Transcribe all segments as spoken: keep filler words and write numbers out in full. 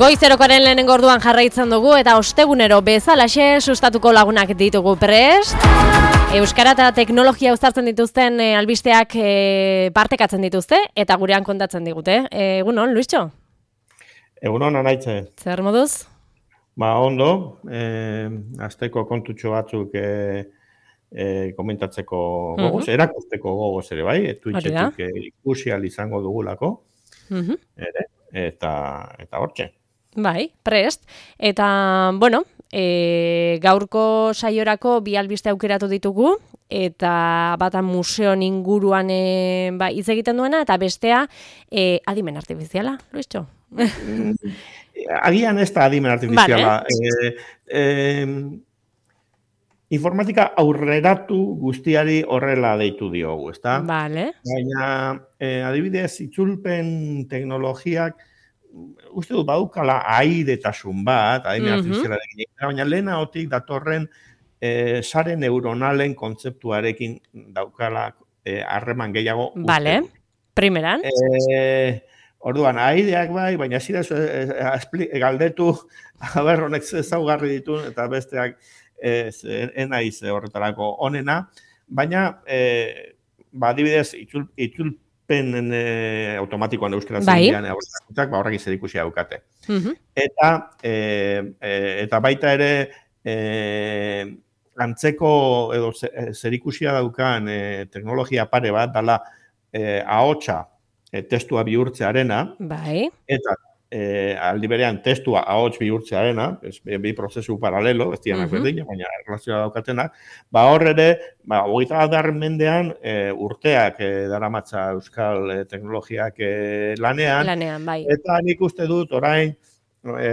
Goizerokoaren lehenengo orduan jarraitzen dugu eta ostegunero bezalaxe sustatuko lagunak ditugu prest. Euskara eta teknologia uztartzen dituzten e, albisteak e, partekatzen dituzte eta gurean kontatzen digute. E, egunon, Luistxo? Egunon, anaitze. Zer moduz? Ba, ondo, eh, azteko kontutxo batzuk eh, eh, komentatzeko gogoz, uh-huh. erakusteko gogoz ere bai, Twitchetik eh, ikusi ahal izango dugulako, uh-huh. ere, eta, eta hortxe. Bai, prest. Eta, bueno, e, gaurko saiorako bi albiste aukeratu ditugu, eta bata museon inguruan e, ba, hitz egiten duena, eta bestea e, adimen artifiziala, Luistxo? Agian ez da adimen artifiziala. Vale. E, e, informatika aurreratu guztiari horrela deitu diogu, ezta? Vale. Baina, e, adibidez, itzulpen teknologiak uste dut badukala airetasun bat, adimen uh-huh. artifizialarekin, baina lehena hotik datorren e, sare neuronalen kontzeptuarekin daukala harreman e, gehiago. Vale, primeran. E, orduan, aireak bai, baina zira e, e, galdetu, haber honek ezaugarri ditun, eta besteak ez, enaiz horretarako onena, baina, e, ba, adibidez, itzul, itzul pen e, automatikoan euskara zendian ba, horrek izer ikusi daukate. Uh-huh. Eta, e, e, eta baita ere e, antzeko edo zerikusia daukan e, teknologia pare bat dala e, ahotsa e, testua bihurtzearena. Bai. Eta e, aldi berean testua ahots bihurtzearena, ez, bi prozesu paralelo, ez dianak uh-huh. berdina, baina erlazioa daukatenak, ba hor ere, ba, hogeita bat mendean e, urteak e, daramatza euskal e, teknologiak e, lanean, lanean bai. Eta nik uste dut orain, e,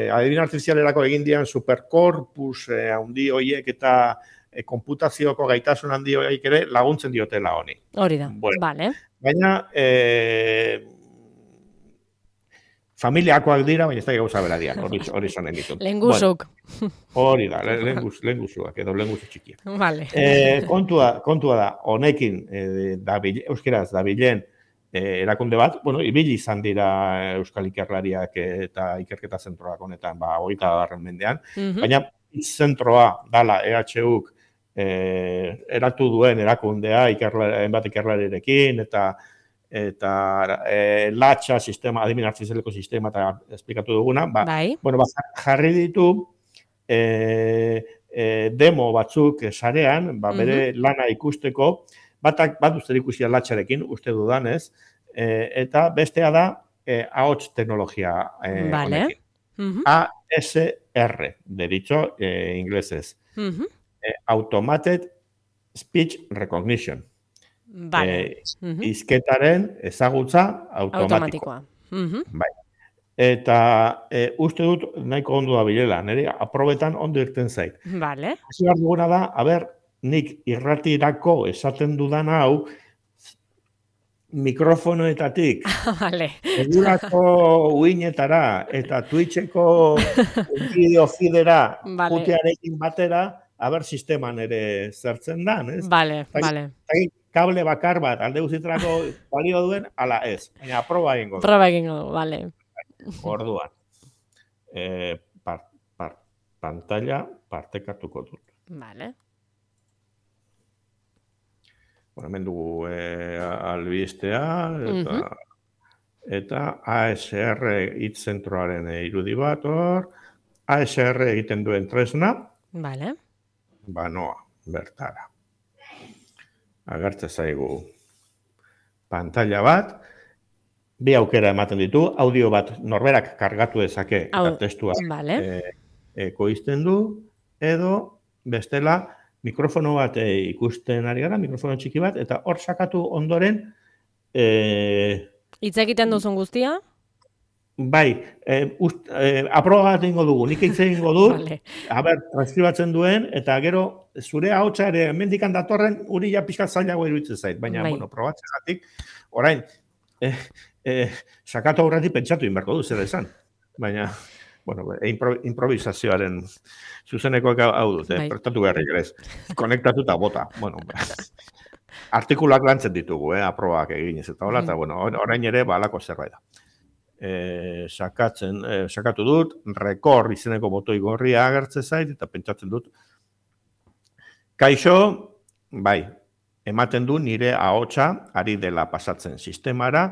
adibin artifizialerako egin dian superkorpus e, handi horiek eta e, konputazioko gaitasun handi horiek ere laguntzen diotela honi. Hori da, bueno, vale. Baina, e, familiakoak dira, baina ez da gauza bera dian, hori, hori zonen ditut. Lenguzuk. Bueno, hori da, lenguz, lenguzuak, edo lenguzu txikiak. Vale. E, kontua, kontua da, honekin, e, da, euskeraz, da bilen e, erakunde bat, bueno, ibili izan dira euskal ikerlariak eta ikerketa zentroak honetan, ba, hogeita garren mendean, uh-huh. baina zentroa dala E H Uk e, eratu duen erakundea, ikerla, enbat ikerlarirekin, eta eta e, latxa sistema, adimen artifizialeko sistema eta esplikatu duguna, ba, bai. bueno, ba, jarri ditu e, e, demo batzuk sarean, ba, bere uh-huh. lana ikusteko, batak bat uste ikusia latxarekin, uste dudanez, e, eta bestea da e, ahots teknologia e, vale. honekin. Uh-huh. A S R, deritxo, e, inglesez. Uh-huh. E, Automated Speech Recognition. Vale. Eh, uh-huh. Izketaren ezagutza automatikoa. Uh-huh. Bai. Eta e, uste dut nahiko ondo da bilela, nire aprobetan ondo irten zait. Vale. Hasi behar duguna da, haber, nik irratirako esaten dudan hau, mikrofonoetatik, vale. egurako uinetara, eta Twitcheko bideo feedera, vale. putearekin batera, haber sisteman ere zertzen dan, ez? Vale, Tagi, vale. Tagi, kable bakar bat, alde guztietako balio duen, ala ez. Baina, proba egingo du. Proba egingo du, vale. Orduan. E, par, par, pantalla partekatuko dut. Vale. Bueno, hemen dugu e, albistea, eta, uh-huh. eta A S R hitzentroaren irudi bat, hor. A S R egiten duen tresna. Vale. Banoa, bertara. Agertze zaigu pantalla bat, bi aukera ematen ditu, audio bat norberak kargatu dezake eta Au, testua vale. e, ekoizten du, edo bestela mikrofono bat e, ikusten ari gara, mikrofono txiki bat, eta hor sakatu ondoren e, hitz egiten duzun guztia? Bai, e, ust, e, aproba bat egingo dugu, nik hitz egingo dut, vale. Haber, transkribatzen duen, eta gero zure ahotsa ere mendikan datorren uri ja pixkat zailago iruditzen zait, baina, bai. bueno, probatzegatik, orain, e, e, sakatu aurretik pentsatu inberko du, zer esan, baina, bueno, impro, improvisazioaren zuzenekoak hau dut, bai. Prestatu beharrik ere, konektatu eta bota, bueno, artikulak lantzen ditugu, eh, aprobak eginez, eta hola, eta, bueno, orain ere, balako zerbait da. e, sakatzen, e, sakatu dut, rekor izeneko botoi gorria agertze zait, eta pentsatzen dut, kaixo, bai, ematen du nire ahotsa ari dela pasatzen sistemara,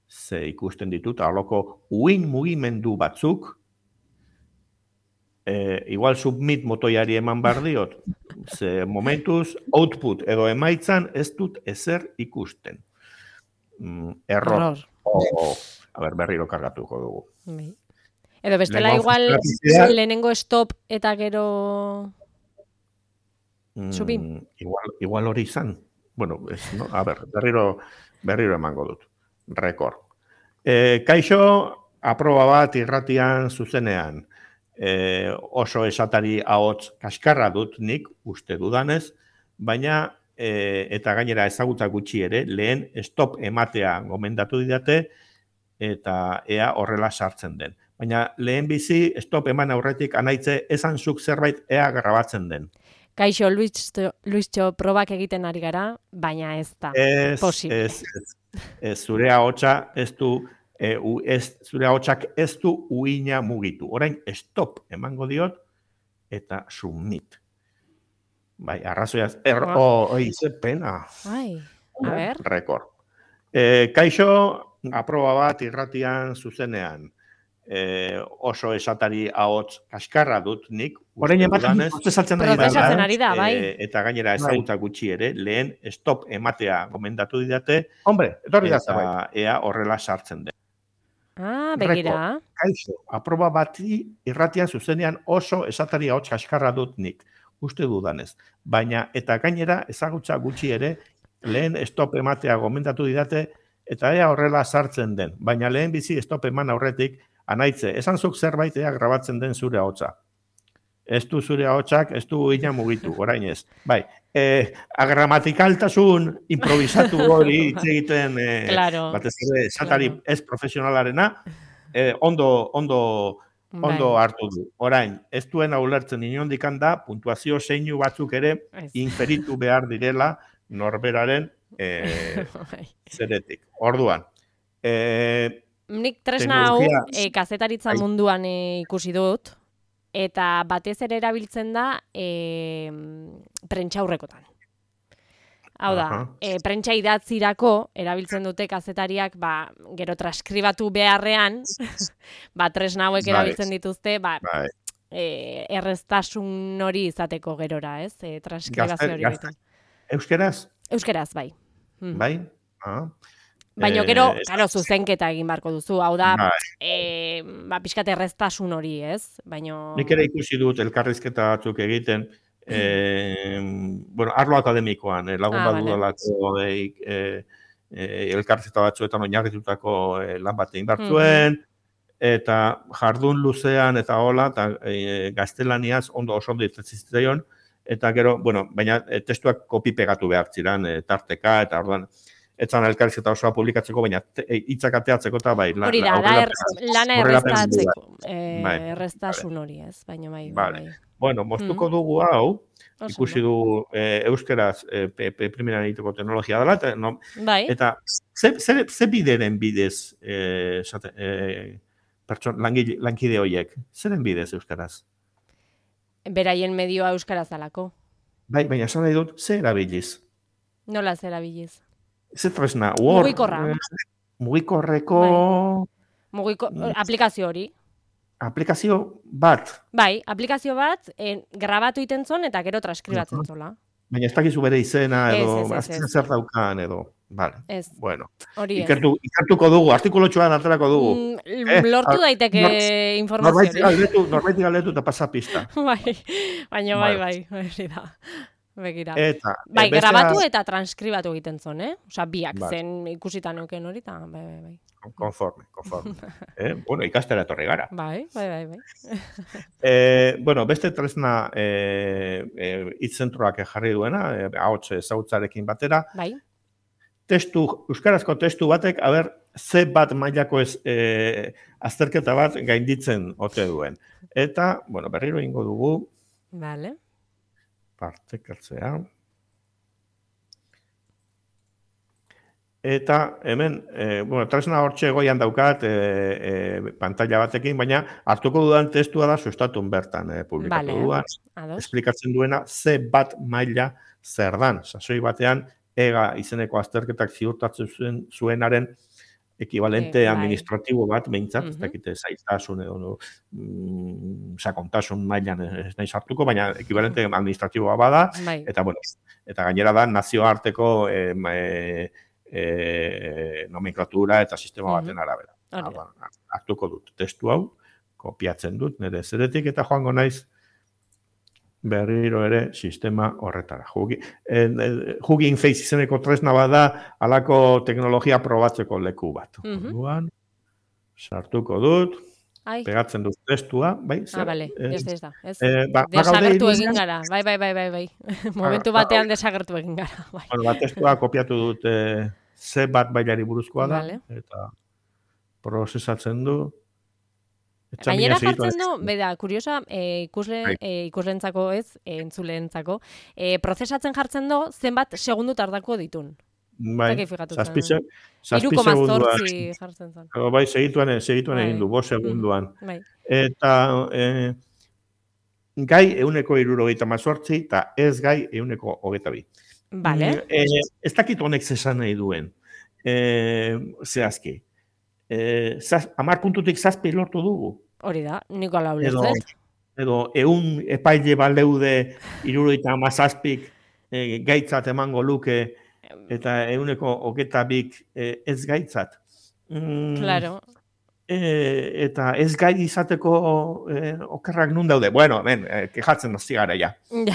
ze ikusten ditut, aloko uin mugimendu batzuk, e, igual submit motoiari eman behar diot, ze momentuz output edo emaitzan ez dut ezer ikusten. Mm, error. Error. O, a ber, berriro kargatuko dugu. Bai. Edo bestela Lehenengo igual funtzionalitatea- lehenengo stop eta gero Mm, Subi. igual, igual hori izan. Bueno, ez, no? A ber, berriro, berriro emango dut. Rekord. E, kaixo, aproba bat irratian zuzenean. E, oso esatari ahots kaskarra dut nik, uste dudanez, baina e, eta gainera ezagutza gutxi ere, lehen stop ematea gomendatu didate, eta ea horrela sartzen den. Baina lehen bizi stop eman aurretik anaitze esan zuk zerbait ea grabatzen den. Kaixo, Luistxo, Luistxo probak egiten ari gara, baina ez da Ez, posible. ez, ez, ez, zure ahotsa ez du, e, u, ez, zure ahotsak ez du uina mugitu. Orain, stop emango diot, eta submit. Bai, arrazoiaz, er, Ah. oh, oi, ze pena. Ai, a ber. Rekord. E, kaixo, aproba bat irratian zuzenean. E, oso esatari ahots kaskarra dut nik. Orain uste ematen dudanez. prozesatzen ari da. Prozesatzen ari da, bai. E, eta gainera ezagutza gutxi ere, lehen stop ematea gomendatu didate, Hombre, etorri da eta zerbait. ea horrela sartzen den. Ah, begira. Kaixo, aproba bati irratian zuzenean oso esatari ahots kaskarra dut nik, uste dudanez. Baina, eta gainera ezagutza gutxi ere, lehen stop ematea gomendatu didate, eta ea horrela sartzen den. Baina lehen bizi stop eman aurretik, anaitze, esan zuk zerbait ea grabatzen den zure ahotsa. Ez du zure ahotsak, ez du ina mugitu, orain ez. Bai, eh, agramatikaltasun improvisatu hori hitz egiten, eh, Claro, batez ere, esatari claro. ez profesionalarena, eh, ondo, ondo, ondo Bai. hartu du. Orain, ez duen ulertzen inondik da, puntuazio zeinu batzuk ere Ez. inferitu behar direla norberaren eh, Bai. zeretik. Orduan, eh, Nik tresna hau Teknologia- e, kazetaritza Bai. munduan e, ikusi dut, eta batez ere erabiltzen da e, prentxaurrekotan. Hau da, Aha. e, prentxa idatzirako erabiltzen dute kazetariak, ba, gero transkribatu beharrean, ba, tresna hauek Bai. erabiltzen dituzte, ba, bai, e, erreztasun hori izateko gerora, ez? E, transkribazio Gazte- hori gazte- egiten. euskeraz, Euskeraz, bai. Mm. bai? Ah. Baina Eh, gero, ez- claro, zuzenketa egin beharko duzu. Hau da, Bai. e, ba, pixkat erreztasun hori, ez? Baina... Nik ere ikusi dut elkarrizketa batzuk egiten, eh, bueno, arlo akademikoan, eh, lagun Ah, bat vale. dudalako eh, eh, eh, elkarrizketa batzuetan oinarritutako eh, lan bat egin behar zuen, eta jardun luzean eta hola, eta eh, gaztelaniaz ondo oso ondo irtetzi zitzaion, eta gero, bueno, baina eh, testuak kopi pegatu behar ziren, eh, tarteka, eta orduan, etzan elkarrizketa osoa publikatzeko, baina te- eh, hitzak ateatzeko eta bai, la- Hori la- da, da aurrerapen- er, lana aurrerapen erreztatzeko. E, Bai, erreztasun hori, ez? Baina bai, bai, Vale. bai. Bueno, moztuko dugu hau, Oso ikusi ondo. du eh, euskeraz eh, pe, pe, primeran egiteko teknologia dela, eta, no, Bai, eta ze, ze, ze bideren bidez eh, esate, eh, pertson, langile, lankide horiek? Zeren bidez euskaraz? beraien medioa euskaraz dalako. Bai, baina esan nahi dut, ze erabiliz? Nola zera biliz? Ze tresna? Word, Mugikorra. eh, Mugikorreko Mugiko, Mm. aplikazio hori. aplikazio bat. Bai, aplikazio bat, en, grabatu iten zon eta gero transkribatzen Mhm. zola. Baina ez dakizu bere izena Ez, edo ez, ez, azken ez. zer daukan edo. Vale, Ez, bueno. hori ez. Ikertu, ikertuko dugu, artikulotxoan aterako dugu. Mm, Eh, lortu ar- daiteke nor- informazio Norbait hori. galdetu, norbait galdetu eta pasa pista. Bai, baina bai, Vale. bai, hori da. Begira. Eta, Bai, eh, bestea- grabatu eta transkribatu egiten zon, eh? Osa, biak Vale. zen ikusita neuken hori, eta bai, bai, bai. Konforme, konforme. eh? Bueno, ikastera etorri gara. Bai, bai, bai, bai. Eh, bueno, beste tresna eh, eh, hitzentroak jarri duena, eh, ahots ezautzarekin batera, Bai, testu, euskarazko testu batek, aber, ze bat mailako ez eh, azterketa bat gainditzen ote duen. Eta, bueno, berriro ingo dugu, vale. partekatzea. Eta hemen, e, bueno, tresna hortxe goian daukat e, e, pantalla batekin, baina hartuko dudan testua da sustatun bertan e, publikatu Vale, duan. ados. Esplikatzen duena ze bat maila zer dan. Sasoi batean, ega izeneko azterketak ziurtatzen zuen, zuenaren ekibalente Eh, bai. administratibo bat, behintzat, ez Mhm. dakite zaiztasun edo no, mm, sakontasun mailan ez nahi sartuko, baina ekibalente administratiboa bada, Bai. eta bueno, eta gainera da nazioarteko e, e, e, nomenklatura eta sistema Mhm. baten arabera. Hori Ah, da. bueno, hartuko dut testu hau, kopiatzen dut nire zeretik eta joango naiz berriro ere sistema horretara. Jugi, en, en, Hugging Face izeneko tresna bada halako teknologia probatzeko leku bat. Mhm. Orduan, sartuko dut, Ai. pegatzen dut testua, bai, Ah, zer? bale, Eh, ez da, ez da. Ez. eh, ba, bagaude Desagertu irudian? egin gara. Bai, bai, bai, bai, bai. Momentu ba, batean desagertu egin gara. Bai. Bueno, ba, testua kopiatu dut eh, ze bat bailari buruzkoa da, Vale. eta prozesatzen du. Gainera Etxamina jartzen du, beda, kuriosa, e, ikusle, Bai. e, ikusleentzako ez, e, entzuleentzako, e, prozesatzen jartzen du zenbat segundu tardako ditun. Bai, Zaki fijatu zen. zazpi, se- zazpi Hiru koma segunduan. zortzi jartzen zen. Oh, bai, segituan, segituan Bai. egin du, bost segunduan. Mhm, bai. Eta eh, gai euneko irurogeita mazortzi, eta ez gai euneko hogeita bi. Vale. Mm, eh, ez dakit honek zesan nahi duen. Eh, zehazki. Eh, zaz, amar puntutik zazpi lortu dugu. Hori da, niko ala Edo, ulertzen. edo eun epaile baleude irurogeita amazazpik eh, gaitzat emango luke eta euneko hogeita bik eh, ez gaitzat. Mm, Claro. E, eta ez gai izateko e, okerrak nun daude. Bueno, hemen, e, kejatzen hasi gara ja. Ja,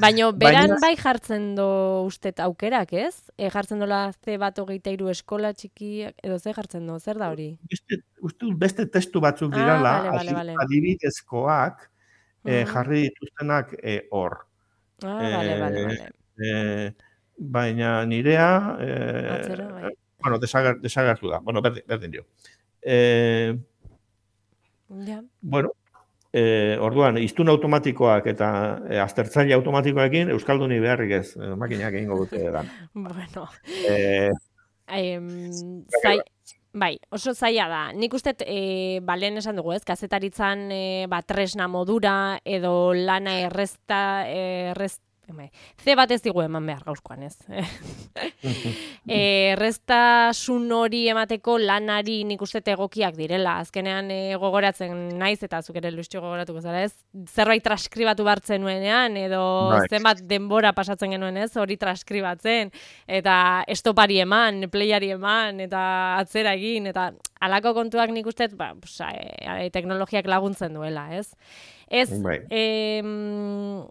baina beran Baina- bai jartzen do ustet aukerak, ez? E, jartzen dola ze bat hogeita hiru eskola txikiak, edo ze jartzen do, zer da hori? Beste, uste dut beste testu batzuk Ah, dirala, vale, vale, adi- vale. adibidezkoak e, Mhm. jarri dituztenak e, hor. Ah, vale, vale, E, vale. e, baina nirea, e, Atzera, bai. bueno, desager, desagertu da. Bueno, berdin, berdin dio. E, Ja. bueno, e, orduan, iztun automatikoak eta e, aztertzaile automatikoekin Euskalduni beharrik ez, e, makinak egingo dute dan. Bueno, E, em, zai, bai, oso zaila da. Nik uste, e, ba, lehen esan dugu, ez, kazetaritzan e, ba, tresna modura edo lana errezta, errez, bai, ze bat ez digu eman behar gauzkoan, ez. e, erreztasun hori emateko lanari nik uste egokiak direla. Azkenean e, gogoratzen naiz, eta zuk ere Luistxo gogoratuko zara, ez? Zerbait transkribatu bartzen nuenean, edo Bai. zenbat denbora pasatzen genuen, ez? Hori transkribatzen, eta estopari eman, playari eman, eta atzera egin, eta halako kontuak nik uste, ba, pues, e, teknologiak laguntzen duela, ez? Ez, Bai. em,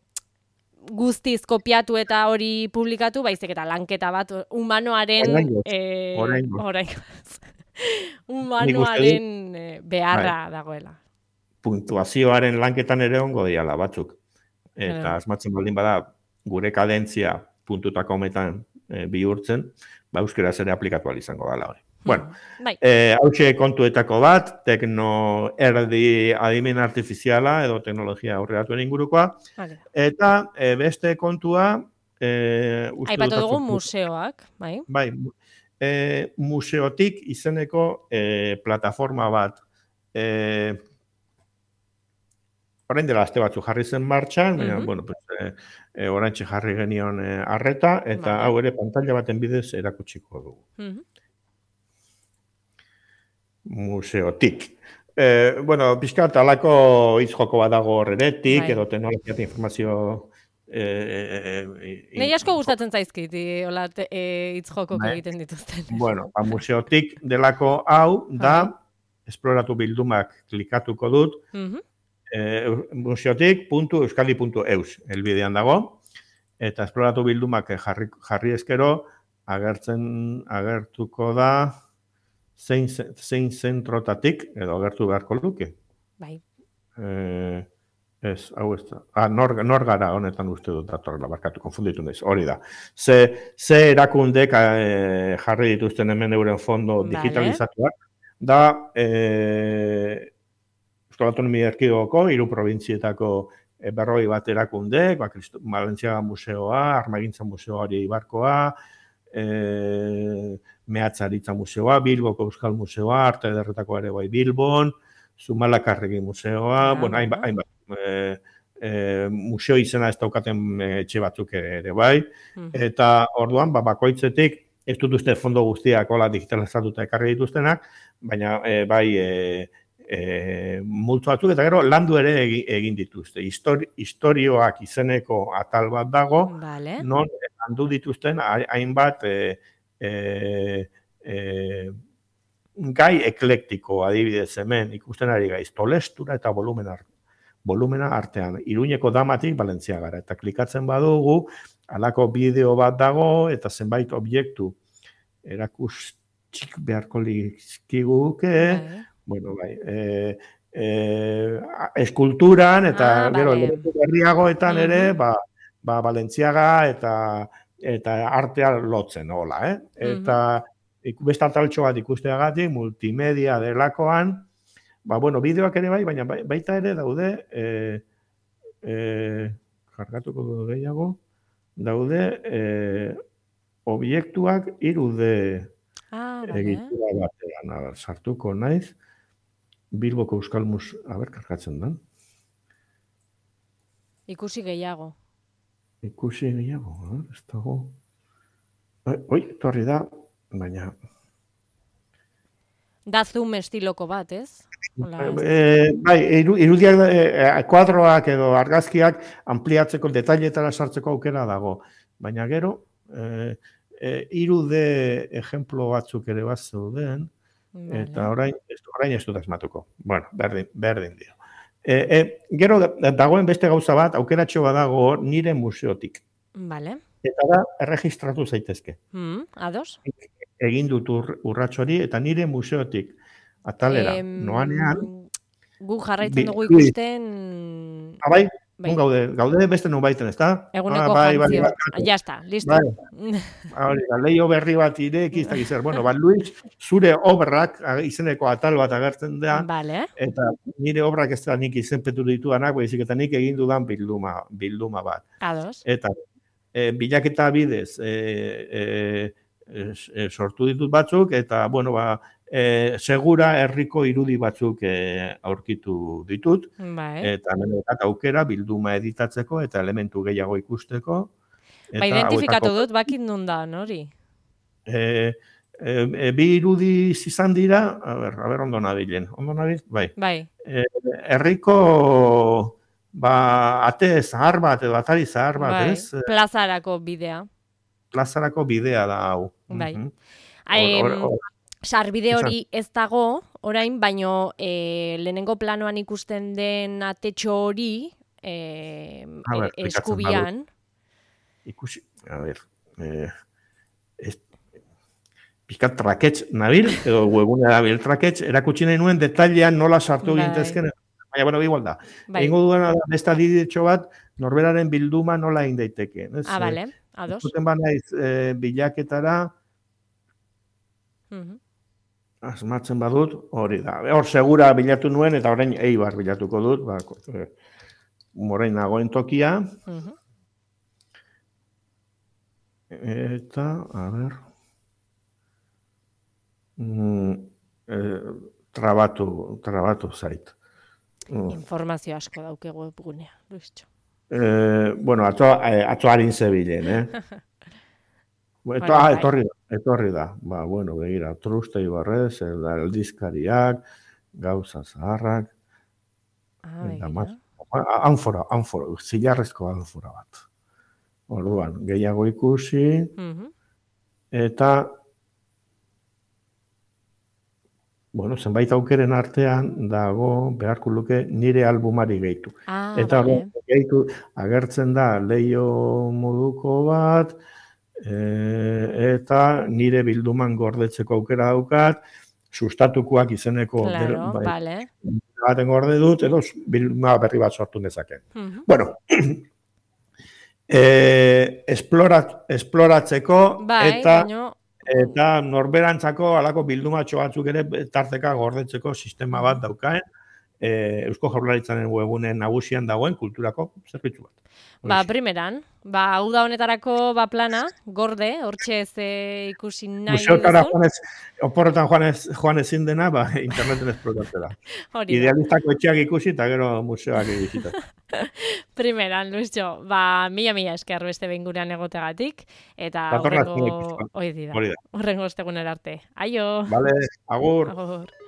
guztiz kopiatu eta hori publikatu, baizik eta lanketa bat humanoaren Oraingoz, eh, oraingoz. oraingoz. humanoaren eh, beharra dagoela. puntuazioaren lanketan ere ongo diala batzuk. Eta Claro. asmatzen baldin bada gure kadentzia puntutako hometan e, bihurtzen, ba euskeraz ere aplikatu ahal izango dela hori. Bueno, Bai. eh, hauxe kontuetako bat, tekno erdi adimen artifiziala edo teknologia aurreratuen ingurukoa, Vale. eta e, beste kontua, e, uste Aipatu dut dugu atzo- museoak, bai? Bai, mu- e, museotik izeneko e, plataforma bat. E, orain dela aste batzu jarri zen martxan, baina, Mhm. bueno, pues, e, e, oraintxe jarri genion e, arreta, eta Vale. hau ere pantalla baten bidez erakutsiko dugu. Mhm. Museotik. E, bueno, pixkat alako hitz joko bat dago horretik, Bai. edo teknologia eta informazio e, e, e, Nei asko gustatzen zaizkit, i- hola te- e, hitz jokok Bai. egiten dituzten. Bueno, ba, museotik delako hau da, esploratu bildumak klikatuko dut, Mhm. e, museotik puntu euskadi puntu eus helbidean dago, eta esploratu bildumak jarri, jarri eskero, agertzen, agertuko da, zein, ze- zein zentrotatik, edo agertu beharko luke. Bai. E, ez, hau ez da. Ah, nor, nor gara honetan uste dut datorrela, barkatu, konfunditu naiz, hori da. Ze, ze erakundek e, jarri dituzten hemen euren fondo Vale. digitalizatuak, da e, Euskal Autonomia Erkidegoko hiru probintzietako e, berroi bat erakundek, ba, Kristo- Balentziaga Museoa, Armagintza Museoa hori Ibarkoa, e, Mehatzaritza Museoa, Bilboko Euskal Museoa, Arte Ederretako ere bai Bilbon, Zumalakarregi Museoa, Ah, bueno, hainbat, bueno. hainbat e, e, museo izena ez daukaten etxe batzuk ere bai, Mhm. eta orduan, ba, bakoitzetik, ez dut uste fondo guztiak hola digitalizatuta ekarri dituztenak, baina e, bai e, e, multzo batzuk, eta gero landu ere egin, egin dituzte. Histori, historioak izeneko atal bat dago, Vale. non landu dituzten hainbat e, e, e, gai eklektiko, adibidez hemen, ikusten ari gaiz, tolestura eta volumen art, volumena artean, Iruñeko Damatik Balentziagara, eta klikatzen badugu, halako bideo bat dago, eta zenbait objektu erakustik beharko lizkiguke, Bai. bueno, bai, e, e, eskulturan, eta Ah, gero, vale. elementu berriagoetan ere, Mhm. ba, ba, Balentziaga eta eta artea lotzen, hola, eh? Eta ik- beste ataltxo bat ikusteagatik, multimedia delakoan, ba, bueno, bideoak ere bai, baina bai- baita ere daude, e, e, jargatuko du gehiago, daude e, obiektuak irude Ah, vale. egitura batean, a ber, sartuko naiz, Bilboko Euskal Mus, a ber, kargatzen da, Ikusi gehiago. ikusi gehiago, a ber, ez dago, Oi, oi, torri da, baina, Da zoom estiloko bat, ez? Hola, ez. e, bai, iru, irudiak, e, kuadroak edo argazkiak ampliatzeko, detailetara sartzeko aukera dago, baina gero, e, e, irude ejemplo batzuk ere bat zeuden, eta Vale. orain, ez, orain ez dut asmatuko. Bueno, berdin, berdin dio. E, e, gero da- dagoen beste gauza bat, aukeratxo badago hor nire museotik. Vale. Eta da, erregistratu zaitezke. Mm, ados? Egin dut ur, urrats hori, eta nire museotik atalera, Em, noanean, gu jarraitzen bi- dugu bi- ikusten... ah, bai, Bai, non gaude, gaude beste non baiten, ez da? eguneko bai, bai, jantzio. bai, Ya está, listo. bai. Hori da, leio berri bat ireki, ez dakiz zer. Bueno, ba, Luis, zure obrak a- izeneko atal bat agertzen da, Vale. eta nire obrak ez da nik izenpetu ditudanak, baizik eta nik egin dudan bilduma, bilduma bat. Ados. Eta e, bilaketa bidez e, e, e, sortu ditut batzuk, eta, bueno, ba, e, segura herriko irudi batzuk e, aurkitu ditut, Bai. eta hemen daukat aukera bilduma editatzeko eta elementu gehiago ikusteko. Ba, identifikatu dut, bakit nun da, nori? E, e, e, bi irudi izan dira, a ber, a ber ondo nabilen, ondo nabil, bai. Bai. E, herriko, ba, ate zahar bat, edo atari zahar bat, Bai. ez? Plazarako bidea. Plazarako bidea da hau. Bai. Mhm. Em, Hor- hor- Sarbide Esan. hori ez dago, orain, baino e, lehenengo planoan ikusten den atetxo hori e, A ber, e- klikatzen eskubian. Ikusi, a ber, eh, ez, pizkat traketx nabil, edo webunea dabil traketx, erakutsi nahi nuen detailean nola sartu Bai. gintezken, baina, bueno, igual da. Bai. Egingo duena da, beste adibidetxo bat, norberaren bilduma nola egin daiteke. Ez? Ah, bale, ados. Zuten banaiz eh, bilaketara, Mhm. asmatzen badut, hori da. Hor segura bilatu nuen, eta orain Eibar bilatuko dut, ba, eh, orain nagoen tokia, Mhm. eta, a ber, mm, eh, trabatu, trabatu zait. Mm. Informazio asko dauke webgunea, Luistxo. Eh, bueno, atzo, eh, atzo harin zebilen, eh? Eto, Bueno, ah, bai. etorri da, etorri da. Ba, bueno, begira, truste ibarrez, el aldizkariak, gauza zaharrak, Ah, eta begira. mas, anfora, anfora, zilarrezko anfora bat. Orduan, gehiago ikusi, Mhm. eta, bueno, zenbait aukeren artean dago beharko luke nire albumari gehitu. Ah, Eta bale. gehitu agertzen da leio moduko bat, e, eta nire bilduman gordetzeko aukera daukat, sustatukoak izeneko Claro, bai, bale. baten gorde dut, edo bilduma berri bat sortu nezake. Mhm. Bueno, e, esplorat, esploratzeko Bai, eta baino... eta norberantzako halako bildumatxo batzuk ere tarteka gordetzeko sistema bat daukaen, e, Eusko Jaurlaritzaren webgunen nagusian dagoen kulturako zerbitzu bat. Ba, primeran, ba, hau da honetarako ba plana, gorde, hortxe ez ikusi nahi Museotara duzun. joanez, oporretan joanez, joan ezin dena, ba, interneten esplotatzera. Idealistako etxeak ikusi eta gero museoak egizitatzen. Primeran, Luisjo, ba, mila-mila esker beste behin gurean egotegatik, eta Datorra horrengo, hori dira, horrengo ostegunera arte. Aio! Vale, agur! Agur!